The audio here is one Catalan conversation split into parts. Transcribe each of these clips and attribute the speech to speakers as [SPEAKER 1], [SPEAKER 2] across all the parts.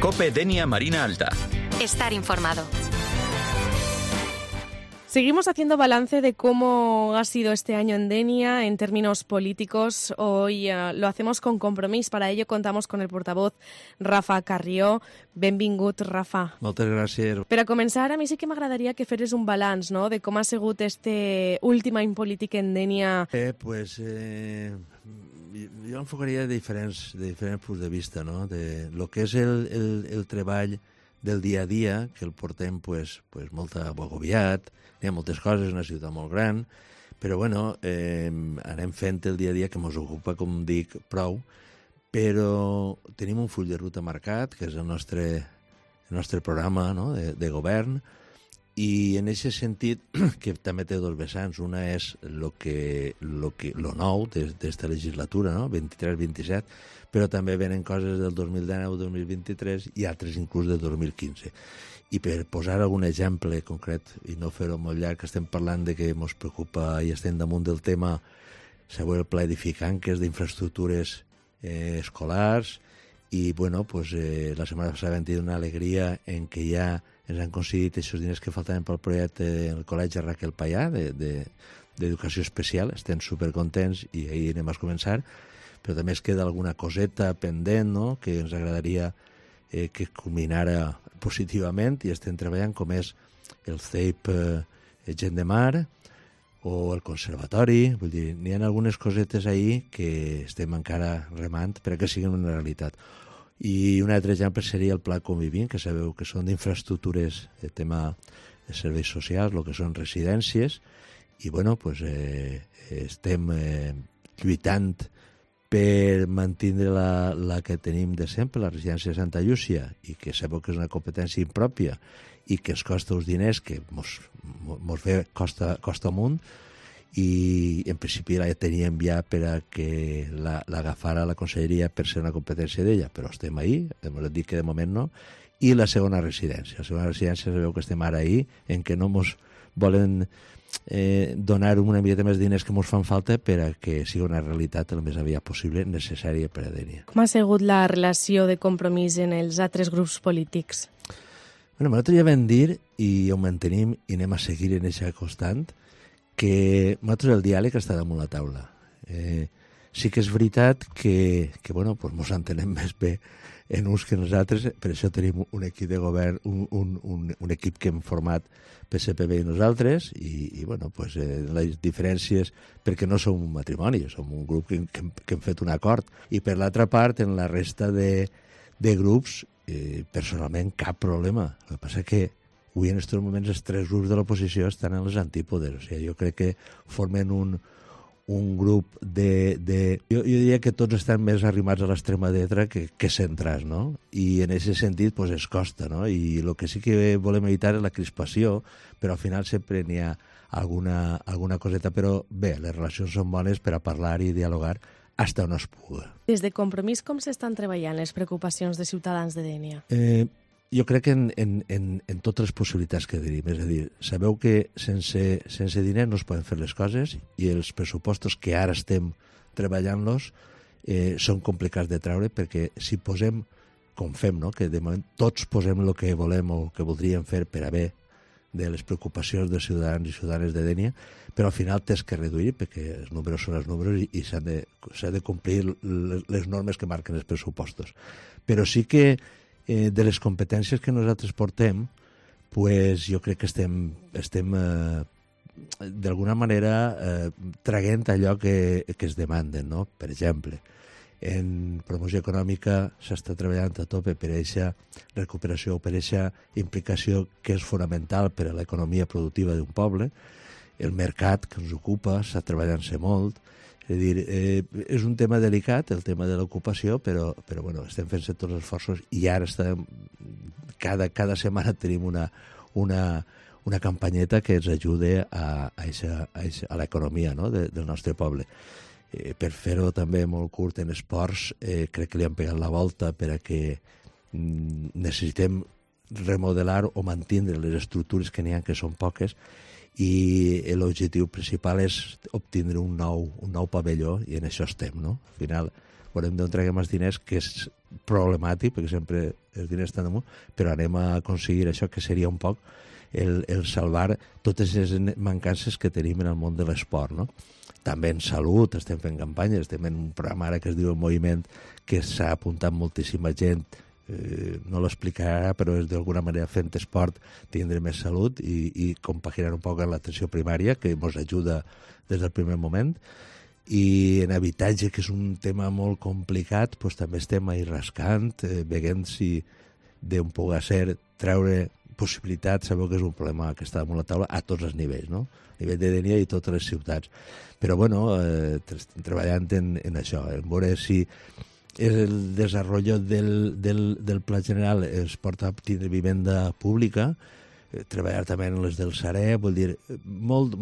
[SPEAKER 1] COPE Denia Marina Alta.
[SPEAKER 2] Estar informado.
[SPEAKER 3] Seguimos haciendo balance de cómo ha sido este año en Denia en términos políticos. Hoy lo hacemos con Compromís. Para ello contamos con el portavoz Rafa Carrió. Benvingut, Rafa.
[SPEAKER 4] Moltes gràcies.
[SPEAKER 3] Per a començar, a mi sí que m'agradaria que feres un balanç, no?, de com ha sigut este últim any polític en Denia.
[SPEAKER 4] Jo enfocaria de diferents punts de vista, no? De lo que és el treball del dia a dia, que el portem molt agobiat, hi ha moltes coses, una ciutat molt gran, però bueno, anem fent el dia a dia que ens ocupa, com dic, prou, però tenim un full de ruta marcat, que és el nostre programa, no?, de govern, i en aquest sentit, que també té dos vessants, una és lo nou d'esta legislatura, no?, 23-27, però també venen coses del 2019-2023 i altres inclús del 2015. I per posar algun exemple concret, i no fer-ho molt llarg, estem parlant de que ens preocupa i estem damunt del tema següent el pla edificant, que és d'infraestructures escolars, i bueno, la setmana passada vam tenir una alegria en què ja ens han aconseguit aquests diners que faltaven pel projecte del Col·legi Raquel Payà d'Educació Especial. Estem supercontents i ahir anem a començar, però també es queda alguna coseta pendent, no?, que ens agradaria que culminara positivament, i estem treballant, com és el CEIP Gent de Mar o el Conservatori. Vull dir, n'hi ha algunes cosetes ahir que estem encara remant perquè siguin una realitat. I un altre exemple seria el Pla Convivint, que sabeu que són d'infraestructures de tema de serveis socials, el que són residències, i bueno, estem lluitant per mantenir la que tenim de sempre, la residència de Santa Llúcia, i que sabeu que és una competència impròpia i que es costa uns diners que mos ve costa amunt, i en principi la teníem ja per a que l'agafara la conselleria per ser una competència d'ella, però estem ahí, hem dit que de moment no. I la segona residència. La segona residència sabeu que estem ara ahí, en què no ens volen donar una miqueta més diners que ens fan falta per a que sigui una realitat el més aviat possible, necessària per a Denia.
[SPEAKER 3] Com ha sigut la relació de Compromís en els altres grups polítics?
[SPEAKER 4] Bueno, nosaltres ja vam dir, i ho mantenim i anem a seguir en aquesta constant, que nosaltres el diàleg està damunt la taula. Sí que és veritat que ens entenem més bé en uns que nosaltres, per això tenim un equip de govern, un equip que hem format PSPB i nosaltres, i les diferències, perquè no som un matrimoni, som un grup que hem fet un acord. I per l'altra part, en la resta de grups, personalment cap problema. El que passa que avui en aquests moments els tres grups de l'oposició estan en les antípodes. O sigui, jo crec que formen un grup Jo diria que tots estan més arrimats a l'extrema dreta que centrats, no? I en aquest sentit es costa, no? I el que sí que volem evitar és la crispació, però al final sempre n'hi ha alguna coseta. Però bé, les relacions són bones per a parlar i dialogar fins on es pugui.
[SPEAKER 3] Des de Compromís, com s'estan treballant les preocupacions de ciutadans de Denia?
[SPEAKER 4] Jo crec que en totes les possibilitats que tenim. És a dir, sabeu que sense diners no es poden fer les coses, i els pressupostos que ara estem treballant-los són complicats de treure, perquè si posem, com fem, no?, que de moment tots posem el que volem o que voldríem fer per a bé de les preocupacions dels ciutadans i ciutadanes de Denia, però al final tens que reduir, perquè els números són els números i s'ha de complir les normes que marquen els pressupostos. Però sí que de les competències que nosaltres portem, jo crec que estem d'alguna manera traguent allò que es demanden, no? Per exemple, en promoció econòmica s'està treballant a tope per a aquesta recuperació, per a aquesta implicació que és fonamental per a l'economia productiva d'un poble. El mercat que ens ocupa està treballant-se molt. És a dir, és un tema delicat, el tema de l'ocupació, però estem fent-se tots els esforços, i ara cada setmana tenim una campanyeta que ens ajuda a l'economia, no?, del nostre poble. Per fer-ho també molt curt en esports, crec que li han pegat la volta per a que necessitem remodelar o mantenir les estructures que n'hi ha, que són poques, i l'objectiu principal és obtindre un nou pavelló, i en això estem, no? Al final veurem d'on traguem els diners, que és problemàtic, perquè sempre els diners estan damunt, però anem a aconseguir això, que seria un poc el salvar totes les mancances que tenim en el món de l'esport, no? També en salut estem fent campanyes, estem en un programa ara que es diu El Moviment, que s'ha apuntat moltíssima gent, no l'explicarà, però és d'alguna manera fent esport tindre més salut i compaginar un poc amb l'atenció primària, que ens ajuda des del primer moment. I en habitatge, que és un tema molt complicat, doncs també estem ahí rascant, veient si d'un poder ser treure possibilitats. Sabeu que és un problema que està damunt la taula a tots els nivells, no? A nivell de Dénia i totes les ciutats. Però, bueno, estem treballant en això, en veure si el desenvolupament del Pla General es porta a tindre vivenda pública, treballar també en les del Sareb, vull dir, molt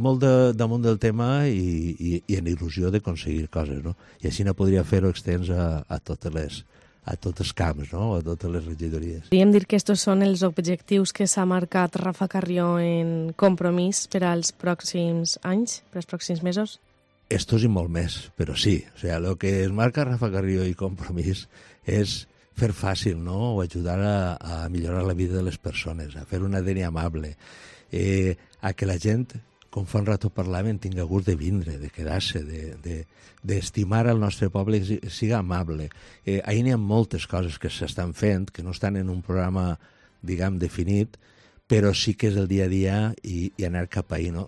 [SPEAKER 4] damunt del tema i en il·lusió d'aconseguir coses, no? I així no podria fer-ho extens a tots els camps, no? A totes les regidories.
[SPEAKER 3] Podríem dir que estos són els objectius que s'ha marcat Rafa Carrió en Compromís per als pròxims anys, per als pròxims mesos?
[SPEAKER 4] Estos i molt més, però sí. O sea, lo que es marca Rafa Carrió i Compromís és fer fàcil, no? O ajudar a millorar la vida de les persones, a fer una Dénia amable, a que la gent, com fa un rato parlàvem, tinga gust de vindre, de quedar-se, d'estimar el nostre poble i siga amable. Ahir n'hi ha moltes coses que s'estan fent, que no estan en un programa, diguem, definit, però sí que és el dia a dia i anar cap ahí, no?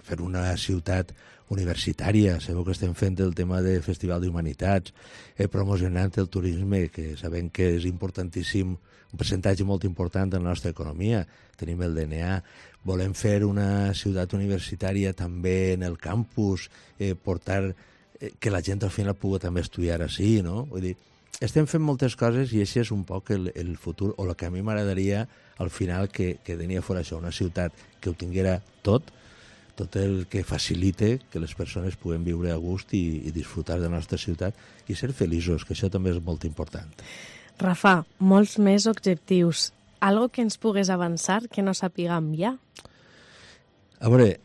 [SPEAKER 4] Fer una ciutat universitària. Sabeu que estem fent el tema de Festival d'Humanitats, promocionant el turisme, que sabem que és importantíssim, un percentatge molt important de la nostra economia. Tenim el DNA. Volem fer una ciutat universitària també en el campus, portar que la gent al final pugui també estudiar així, no? Vull dir, estem fent moltes coses i això és un poc el futur, o el que a mi m'agradaria al final que Dénia fos això, una ciutat que ho tinguera tot el que facilite que les persones puguem viure a gust i disfrutar de la nostra ciutat i ser feliços, que això també és molt important.
[SPEAKER 3] Rafa, molts més objectius. Algo que ens pugues avançar que no sapiguem ja?
[SPEAKER 4] A veure,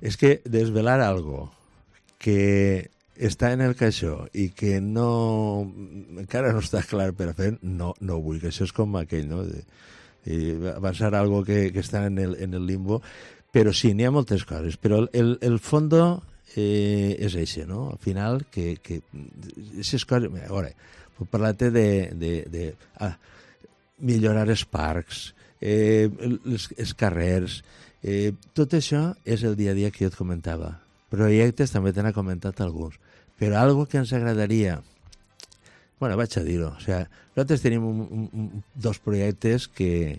[SPEAKER 4] és que desvelar algo que està en el caixó i que encara no està clar per a fer, no vull, que això és com aquell, no? Avançar algo que està en el limbo, però sí, n'hi ha moltes coses, però el fondo és això, no? Al final, que aquestes coses... A veure, puc parlar-te de millorar els parcs, els carrers, tot això és el dia a dia que jo et comentava. Projectes també te n'ha comentat alguns, però algo que ens agradaria... Bueno, vaig a dir-ho. O sea, nosaltres tenim dos projectes que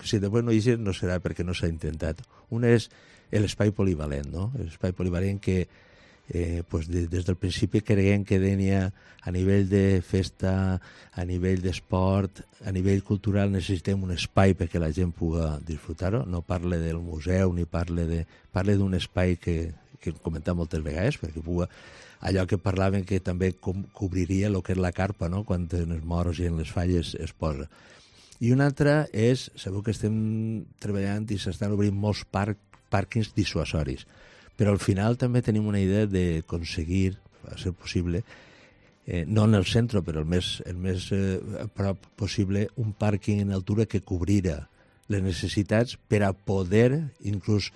[SPEAKER 4] si després no hi és, no serà perquè no s'ha intentat. Un és l'espai polivalent, no? L'espai polivalent que pues des del principi creiem que Dénia, a nivell de festa, a nivell d'esport, a nivell cultural, necessitem un espai perquè la gent pugui disfrutar-ho. No parle del museu ni parle d'un espai que comentam moltes vegades, perquè pugui allò que parlaven que també cobriria el que és la carpa, no? Quan en els moros i en les falles es posa. I una altra és, sabeu que estem treballant i s'estan obrint molts pàrquings dissuasoris, però al final també tenim una idea d'aconseguir, a ser possible, no en el centre, però el més a prop possible, un pàrquing en altura que cobrira les necessitats per a poder inclús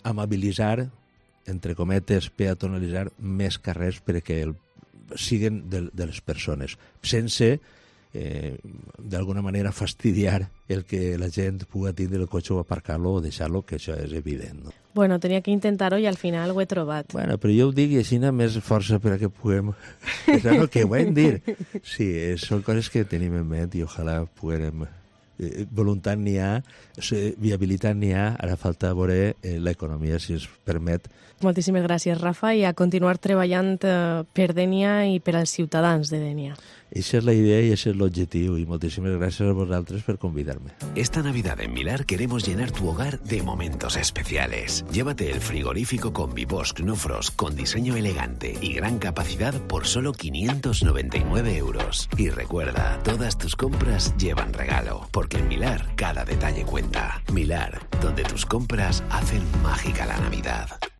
[SPEAKER 4] amabilitzar, entre cometes, peatonalitzar més carrers perquè siguen de les persones, sense d'alguna manera fastidiar el que la gent pugui tindre el cotxe o aparcar-lo o deixar-lo, que això és evident, no?
[SPEAKER 3] Bueno, tenia que intentar-ho i al final ho he trobat.
[SPEAKER 4] Bueno, però jo ho dic i així més força per a que puguem... És el que ho hem dir. Sí, són coses que tenim en ment i ojalà puguem... Voluntat n'hi ha, viabilitat n'hi ha, ara falta veure l'economia, si es permet.
[SPEAKER 3] Moltíssimes gràcies, Rafa, i a continuar treballant per Dénia i per als ciutadans de Dénia.
[SPEAKER 4] Eixa és la idea i ese és l'objectiu, y moltíssimes gràcies a vosaltres per convidarme.
[SPEAKER 1] Esta Navidad en Milar queremos llenar tu hogar de momentos especiales. Llévate el frigorífico Combibox Knufrost con diseño elegante y gran capacidad por solo 599 euros. Y recuerda, todas tus compras llevan regalo, porque en Milar cada detalle cuenta. Milar, donde tus compras hacen mágica la Navidad.